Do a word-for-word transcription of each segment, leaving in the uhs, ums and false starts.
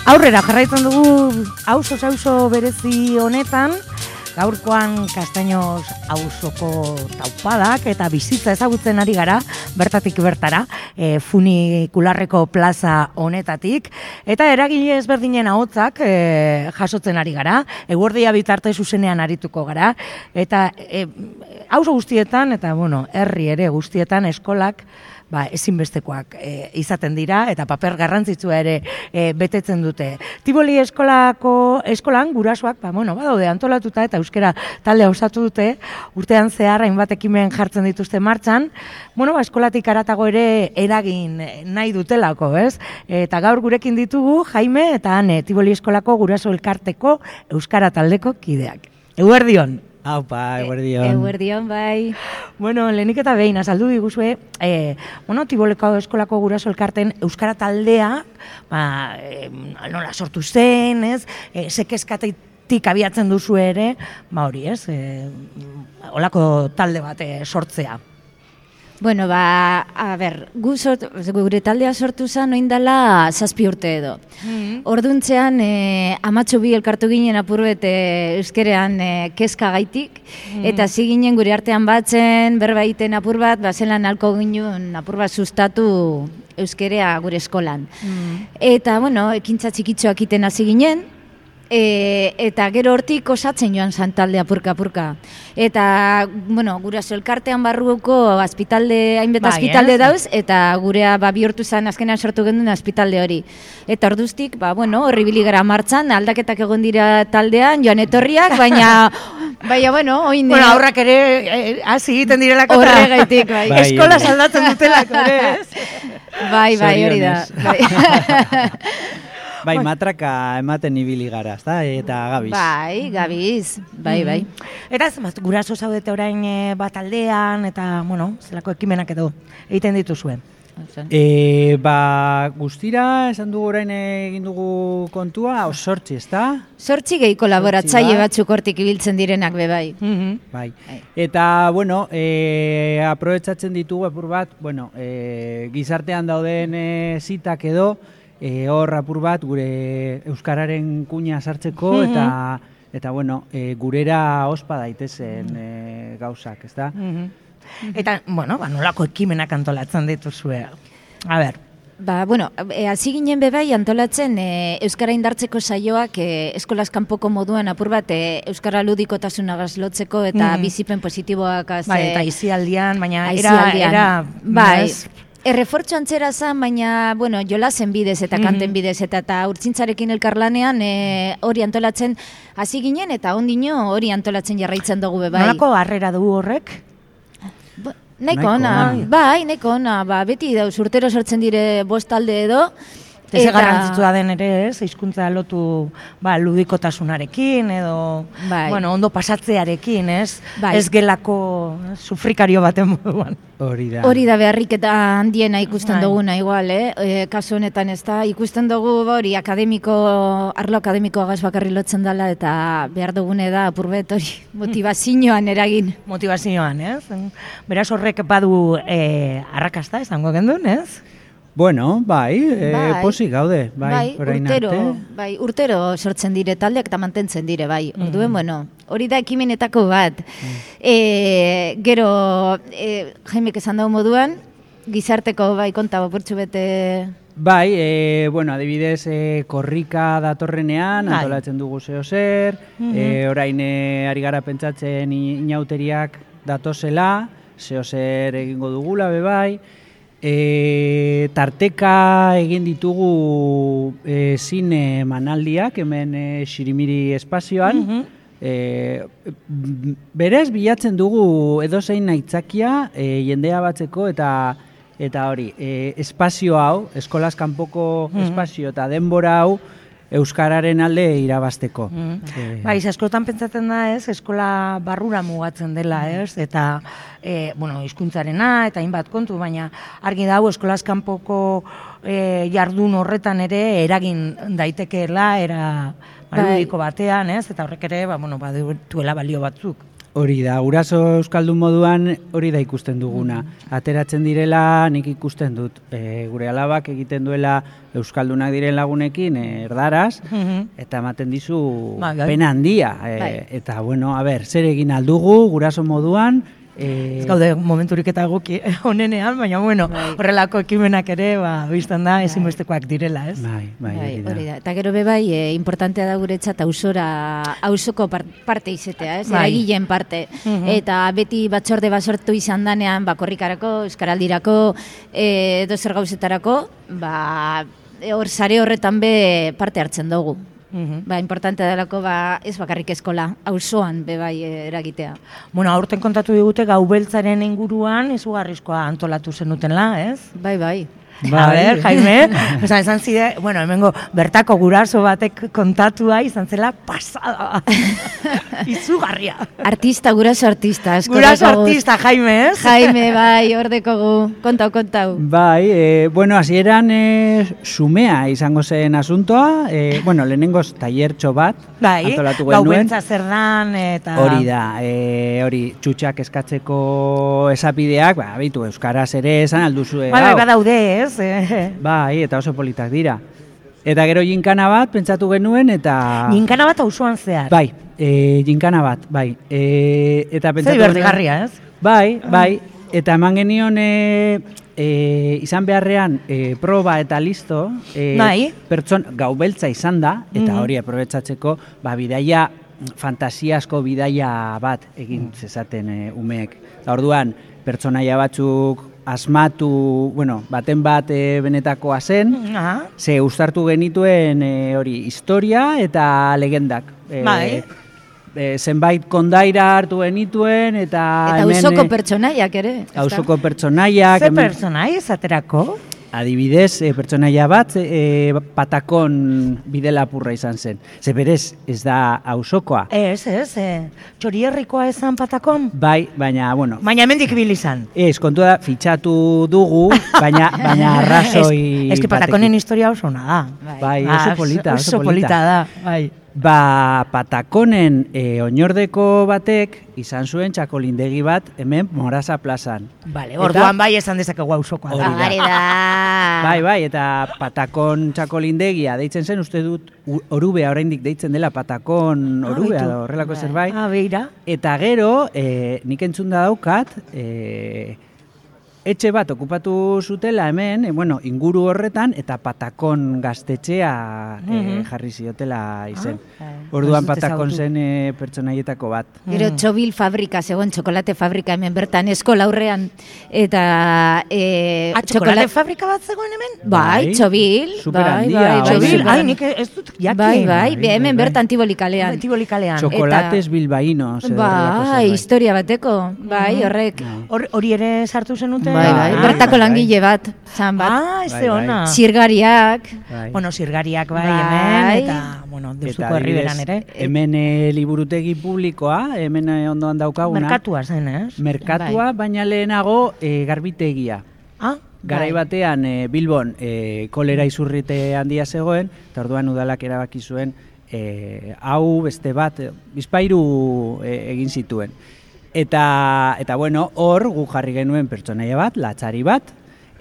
Aurrera jarraitzen dugu auzo auzo berezi honetan, gaurkoan Castaños auzoko taupadak eta bizitza ezagutzen ari gara, bertatik bertara, e, funikularreko plaza honetatik, eta eragile ezberdinen ahotsak e, jasotzen ari gara, eguerdia bitarte zuzenean arituko gara, eta e, auzo guztietan, eta bueno, herri ere guztietan eskolak, ba, ezinbestekoak e, izaten dira eta paper garrantzitsua ere e, betetzen dute. Tiboli eskolako eskolan gurasoak, ba, bueno, badaude antolatuta eta euskara talde osatu dute, urtean zehar hainbat ekimen jartzen dituzte martxan, bueno, ba, eskolatik haratago ere eragin nahi dutelako, ez? Eta gaur gurekin ditugu Jaime eta Ane, Tiboli eskolako guraso elkarteko euskara taldeko kideak. Eguerdion! Aupa, eguerdion. Eguerdion, bai. Bueno, lehenik eta behin, azaldu diguzue, eh, bueno, Tiboleko eskolako guraso elkarten euskara taldea, ba, eh, nola sortu zen, ez, eh, sekezkatetik abiatzen duzu ere, ba hori, ez, eh, olako talde bat eh, sortzea. Bueno, ba, a ber, gu sort, gure taldea sortu zen oindala zazpi urte edo. Mm-hmm. Orduntzean, e, amatxo bi elkartu ginen apurbet e, euskerean e, kezka gaitik, mm-hmm. eta hasi ginen gure artean batzen, berba egiten apur bat, ba, zelan alko ginen apur bat sustatu euskerea gure eskolan. Mm-hmm. Eta, bueno, ekintza txikitxoak iten hasi ginen, E, eta gero hortik osatzen joan zan talde apurka-apurka. Eta, bueno, guraso elkartean barruko azpitalde, hainbet bai, azpitalde eh? dauz, eta gurea ba, bihurtu zen azkenean sortu genduen azpitalde hori. Eta orduztik, ba, bueno, horri biligara martxan, aldaketak egon dira taldean, joan etorriak, baina, baina, bueno, oin... Bueno, aurrak ere, hasi eh, egiten direlako eta... Horregaitik, bai. bai eskola saldatzen dutelako, ez? Bai, bai, hori da. Bai. Bai, matraka ematen ibili gara, ezta? Eta gabiz. Bai, gabiz, bai, bai. Eta zenbat, guraso zaudete orain e, bat aldean, eta, bueno, zelako ekimenak edo egiten dituzue? E, ba, guztira, esan dugu orain egin dugu kontua, o sortzi, ezta? Sortzi gehi kolaboratzaile batzuk hortik ibiltzen direnak be bai. Mm-hmm. Bai. Eta, bueno, e, aprobetxatzen ditugu epur bat, bueno, e, gizartean dauden e, zitak edo, E, hor apur bat gure euskararen kuña sartzeko mm-hmm. eta eta bueno, e, gurera ospa daitezen e, gauzak, ezta? Mm-hmm. Eta, bueno, ba, nolako ekimenak antolatzen dituzue. A ber. Ba, bueno, hasi e, ginen bebai antolatzen e, euskara indartzeko saioak e, eskolaz kanpoko moduan apur bat e, euskara ludikotasuna gazlotzeko eta mm-hmm. bizipen positiboak az, bai, eta izialdian, baina era, era bai. Ez, Errefortxo antzera zen, baina, bueno, jolasen bidez eta kanten bidez eta eta urtzintzarekin elkarlanean hori e, antolatzen hasi ginen eta ondino hori antolatzen jarraitzen dugu bebai. Nolako harrera du horrek? Ba, nahiko ona, bai, nahiko ona, ba, beti dauz urtero sortzen dire bost talde edo. Eta garrantzitsua den ere, ez, hizkuntza lotu ba, ludikotasunarekin edo bai. Bueno, ondo pasatzearekin, ez, bai. Ez gelako sufrikario baten moduan. Hori da. Hori da beharrik eta handiena ikusten bai. Duguna igual, eh? E, kasu honetan ez da, ikusten dugu hori akademiko, arlo akademiko agaz bakarri lotzen dela eta behar dugune da apurbet hori motivazioan eragin. Motivazioan, ez? Beraz horrek badu e, arrakasta, esango gendun, ez? Bueno, bai, e, bai. Posik gaude, bai, bai orain urtero, arte. Bai, urtero sortzen dire taldeak eta mantentzen dire, bai. Mm. Orduen, bueno, hori da ekimenetako bat. Mm. E, gero, e, Jaimek esan dago moduan, gizarteko bai konta bapurtxu bete... Bai, e, bueno, adibidez, e, korrika datorrenean, bai. Antolatzen dugu zeo zer, mm-hmm. e, orain e, ari gara pentsatzen inauteriak datozela, zeo zer egingo dugula, be bai, E, tarteka egin ditugu e, zine manaldiak hemen e, Xirimiri espazioan. Mm-hmm. e, berez bilatzen dugu edozein aitzakia e, jendea batzeko eta eta hori e, espazio hau, eskolaz kanpoko mm-hmm. espazio eta denbora hau euskararen alde irabazteko. Mm. E... Bai, askotan pentsatzen da, ez, eskola barrura mugatzen dela, ez, eta e, bueno, hizkuntzarena eta hainbat kontu, baina argi dago eskolaz kanpoko e, jardun horretan ere eragin daitekeela era maludiko batean, ez, eta horrek ere, ba, bueno, baduela balio batzuk. Hori da, guraso euskaldun moduan hori da ikusten duguna. Ateratzen direla nik ikusten dut. E, gure alabak egiten duela euskaldunak diren lagunekin e, erdaraz, eta ematen dizu pena handia. E, eta, bueno, a ber, zer egin aldugu guraso moduan, Ez gaude momenturik eta egoki honenean, baina bueno, horrelako ekimenak ere, ba, biztan da, ezinbestekoak direla, ez? Bai, bai, hori da. Eta gero bebai, e, importantea da guretzat ausora, ausoko parte izetea, ez? Eragileen parte. Eta beti batzorde basortu izan danean, ba, korrikarako, euskaraldirako, edo zer gauzetarako, ba, hor sare horretan be parte hartzen dugu. Uhum. Ba, importante delako, ba, ez bakarrik eskola, auzoan be bai eragitea. Bueno, aurten kontatu digute gau beltzaren inguruan izugarrizkoa antolatu zenutela, ez? Bai, bai. Bai. A ber, Jaime, esan, esan zide, bueno, hemengo bertako guraso batek kontatua izan zela pasada. Izugarria. Artista, guraso artista. Guraso artista, Jaime, ez? Jaime, bai, ordeko gu. Kontau, kontau. Bai, e, bueno, hasieran e, sumea izango zen asuntoa. E, bueno, lehenengoz taiertxo bat bai, antolatu genuen. Gau beltza zer dan, eta... Hori da, e, hori, txutxak eskatzeko esapideak, ba, bitu, euskaraz ere esan alduzue. Bai, bai, badaude, ez? Bai, eta oso politak dira. Eta gero jinkana bat pentsatu genuen eta... Jinkana bat auzoan zehar? Bai, e, jinkana bat, bai. E, eta pentsatu zer berdigarria, ez? Bai, bai. Eta eman genion e, e, izan beharrean e, proba eta listo. E, bai. Pertson, gau beltza izan da, eta hori aprobetsatzeko, ba, bidaia, fantasiasko bidaia bat egin zezaten e, umeek. Eta orduan, pertsonaia batzuk asmatu, bueno, baten bat e, benetakoa zen, uh-huh. Ze uztartu genituen e, hori historia eta legendak. E, bai. E, zenbait kondaira hartu genituen eta... Eta auzoko pertsonaiak ere. Auzoko pertsonaiak. Ze pertsonai esaterako? Adibidez, e, pertsonaia bat e, patakon bidelapurra izan zen. Ze berez, ez da auzokoa. Ez, ez, e, txorierrikoa esan patakon? Bai, baina, bueno... Baina hemendik bil izan. Ez, kontu da, fitxatu dugu, baina, baina arrazoi... Ez, ez que patakonen historia oso ona da. Bai, bai oso polita, oso, oso polita da, bai. Ba, patakonen e, oinordeko batek izan zuen txakolindegi bat hemen Morasa plazan. Bale, orduan bai esan dezakegu auzokoa da. Hori da. Bai, bai, eta patakon txakolindegia deitzen zen, uste dut orubea oraindik deitzen dela patakon orubea da horrelako bai. zerbait. Ah, beira. Eta gero, e, nik entzun da daukat, e, etxe bat okupatu zutela hemen, e, bueno, inguru horretan, eta patakon gaztetxea e, jarri ziotela izen. Ah, orduan patakon zen e, pertsonaietako bat. Gero txobil fabrika, zegoen txokolate fabrika hemen bertan, eskola aurrean, eta... E, ah, txokolate fabrika bat zegoen hemen? Bai, txobil. Super bai, handia. Bai, txobil, ai, nik ez dut jakin. Bai, bai, bai, hemen bertan tibolikalean. Tibolikalean. Txokolates bilbaínos. Bai, historia bateko, bai, horrek. Hori ere sartu zenuten? Bai, bai, bertako langile bat, zan bat. Ah, ez de ona. Zirgariak. Bueno, zirgariak bai hemen, eta, bueno, deuzuko herriberan ere. Hemen liburutegi publikoa, hemen ondoan daukaguna. Merkatua zen, ez? Merkatua, baina lehenago garbitegia. Ah, Garai batean Bilbon kolera izurrite handia zegoen, eta orduan udalak erabaki zuen hau beste bat, bizpairu egin zituen. Eta, eta bueno, hor gu jarri genuen pertsonaia bat, latxari bat,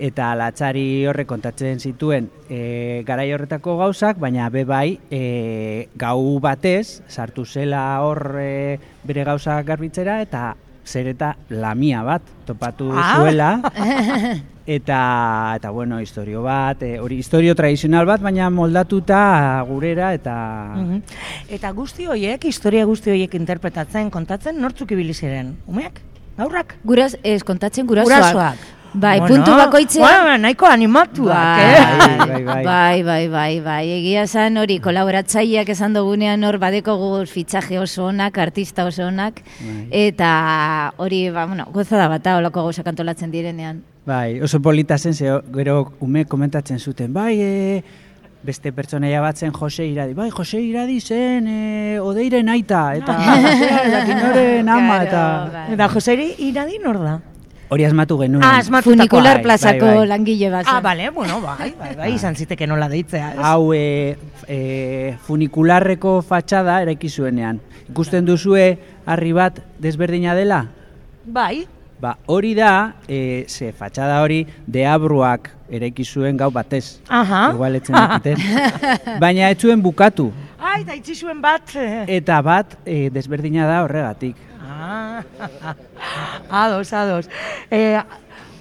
eta latxari horrek kontatzen zituen e, garai horretako gauzak, baina be bai e, gau batez sartu zela hor e, bere gauzak garbitzera, eta zer eta lamia bat topatu ah. zuela. Eta, eta bueno, historio bat, hori e, historio tradizional bat, baina moldatuta gurera eta... Uh-huh. Eta guzti horiek, historia guzti horiek interpretatzen, kontatzen, nortzuk ibili ziren? Umeak? Gaurrak? Guraz, ez, kontatzen gurasoak. Gurasoak. Bai, bueno, puntu bakoitzean... Bueno, nahiko animatuak, bai, eh? Bai, bai, bai, bai, bai. Egia zan hori, kolaboratzaileak esan dugunean hor badekogu fitxaje oso onak, artista oso onak, bai. Eta hori, ba, bueno, gozada bata olako gauzak antolatzen direnean. Bai, oso polita zen, ze, gero ume komentatzen zuten, bai, e, beste pertsonaia bat zen Jose Iradi, bai, Jose Iradi zen e, Odeiren aita, eta Josea, eta Kinoren ama, eta... Bai. Eta Jose Iradi nor da? Hori asmatu genuen. Ah, asmatutakoa. Funikular Bai, plazako bai, bai. langile bat. Ah, bale, bueno, bai, bai, bai, izan ziteke nola deitzea. Ez? Hau e, e, funikularreko fatxada eraiki zuenean. Ikusten duzue harri bat desberdina dela? Bai. Ba, hori da, e, ze fatxada hori deabruak eraiki zuen gau batez. Aha. Igual etzen dakiten. Baina ez zuen bukatu. Ai, eta itzi zuen bat. Eta bat e, desberdina da horregatik. Ah, ados, ados. E,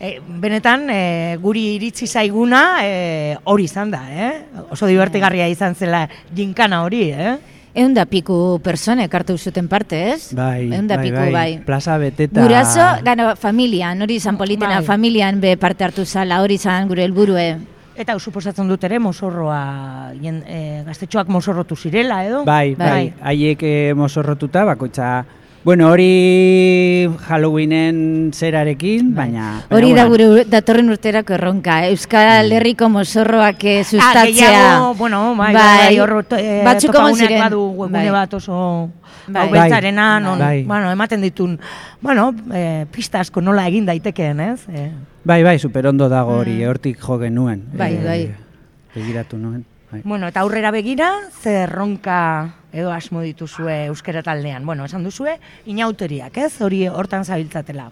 e, benetan, e, guri iritsi zaiguna e, hori izan da, eh? Oso divertigarria izan zela jinkana hori, eh? Egun da piku personek hartu zuten parte, ez? Bai, Egun da bai, piku, bai, bai. Plaza beteta. Guraso, gano, familian, hori izan politena, Bai. familian be parte hartu zala, hori izan gure helburue. Eta suposatzen dut ere mozorroa, jen, e, gaztetxoak mozorrotu zirela, edo? Bai, bai, Bai. haiek eh, mozorrotuta, bakoitza. Bueno, hori Halloweenen zerarekin, baina... Hori baina da bueno. gure datorren urterako erronka, Euskal Herriko mozorroak eh, Ah, sustatzea. gehiago, bueno, bai, bai, bai, hor e, Batzuk egon topaguneak ziren. badu webgune Bai. bat oso Bai. hau beltzarena, non, Bai. bueno, ematen ditun, bueno, e, pista asko nola egin daitekeen, ez? E, Bai, bai, superondo dago hori, hortik jo genuen. Bai, Eh, bai. Begiratu nuen. Bai. bueno, eta aurrera begira, ze erronka edo asmo dituzue euskera taldean. Bueno, esan duzue, inauteriak, ez? Hori hortan zabiltzatela.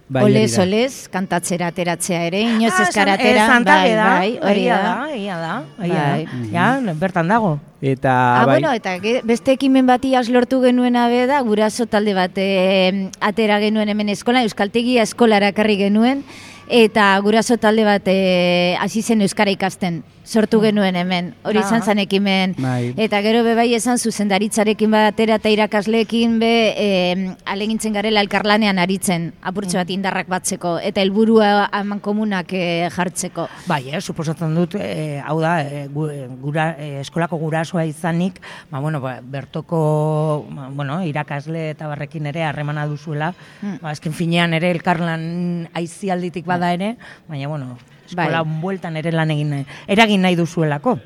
Bai, hori Olez, da. olez, kantatzera ateratzea ere, inoz Ah, eskaratera, esan- eh, bai, Santa da, bai, hori egia da. da, egia da, egia Bai. da. Ja, bertan dago. Eta, Ah, bai, bueno, eta ge- beste ekimen bati lortu genuena be da, guraso talde bat eh, atera genuen hemen eskola, Euskaltegia eskolara ekarri genuen, eta guraso talde bat eh, hasi zen euskara ikasten, sortu genuen hemen, hori Ah. izan zen ekimen. Bai. Eta gero be bai esan zuzendaritzarekin batera eta irakasleekin be eh, alegintzen garela elkarlanean aritzen, apurtxo bat indarrak batzeko, eta helburua aman komunak eh, jartzeko. Bai, eh, suposatzen dut, eh, hau da, eh, gu- eh, gura, eh, eskolako gurasoa izanik, ba, bueno, ba, bertoko, ba, bueno, irakasle eta barrekin ere harremana duzuela, Hmm. ba, azken finean ere elkarlan aizialditik bada ere, baina, bueno, eskola Bai. bueltan ere lan egin, nahi- eragin nahi duzuelako.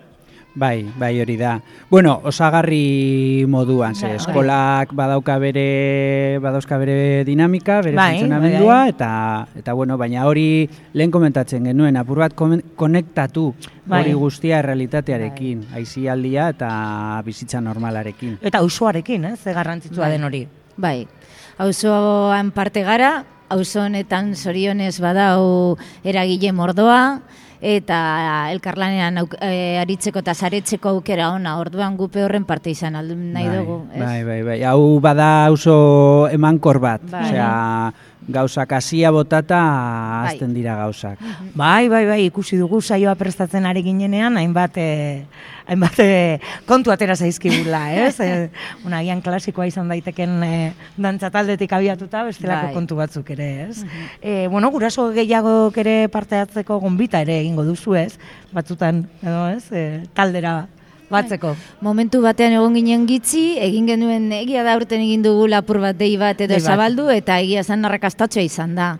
bai, bai, hori da. Bueno, osagarri moduan, ze Bai. eskolak badauka bere, badauzka bere dinamika, bere Bai, funtzionamendua, bai, bai. eta, eta bueno, baina hori lehen komentatzen genuen, apur bat komen- konektatu Bai. hori guztia errealitatearekin, aizialdia eta bizitza normalarekin. Eta auzoarekin, eh, ze garrantzitsua Bai. den hori. Bai, auzoan parte gara, auzo honetan zorionez badau eragile mordoa, eta elkarlanean auk, e, aritzeko eta saretzeko aukera ona, orduan gupe horren parte izan aldu nahi Bai, dugu. Ez? Bai, bai, bai. Hau bada oso emankor bat. Bai. Osea, gauzak hasia botata Bai. hasten dira gauzak. Bai, bai, bai, ikusi dugu saioa prestatzen ari ginenean, hainbat, eh, hainbat eh, kontu atera zaizkigula, ez? Eh, una, agian klasikoa izan daiteken eh, dantza taldetik abiatuta, bestelako Bai. kontu batzuk ere, ez? eh, bueno, guraso gehiagok ere parte hartzeko gonbita ere egingo duzu, ez? Batzutan, edo, ez? Eh, taldera batzeko. Momentu batean egon ginen gitzi, egin genuen egia da urten egin dugu lapur bat dei bat edo Dei bat. zabaldu, eta egia zen arrakastatxoa izan da.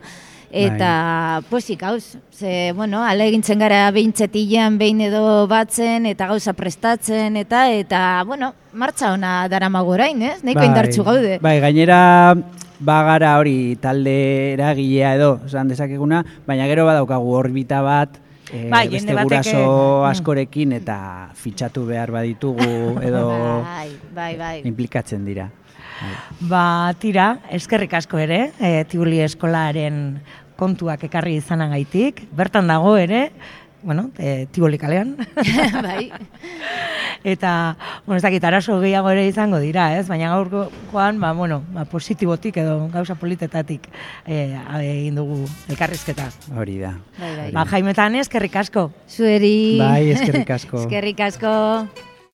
Eta pozik gauz, ze, bueno, ala egintzen gara behintzetilean behin edo batzen, eta gauza prestatzen, eta, eta, bueno, martxa ona daramago orain, ez? Nahiko indartsu gaude. Bai, gainera bagara hori talde eragilea edo, esan dezakeguna, baina gero badaukagu orbita bat, e, Bai, beste jende batek, guraso mm. askorekin eta fitxatu behar baditugu edo Bai, bai, bai. implikatzen dira. Bai. Ba, tira, eskerrik asko ere, e, Tibuli eskolaren kontuak ekarri izanagaitik, bertan dago ere, bueno, e, Tiboli kalean. Bai. Eta, bueno, ez dakit, arazo gehiago ere izango dira, ez? Baina gaurkoan, ba, bueno, ba, positibotik edo gauza politetatik e, egin dugu elkarrizketa. Hori da. Bai, bai. Ba, Jaime eta Ane, eskerrik asko. Zueri. Bai, eskerrik asko. Eskerrik asko.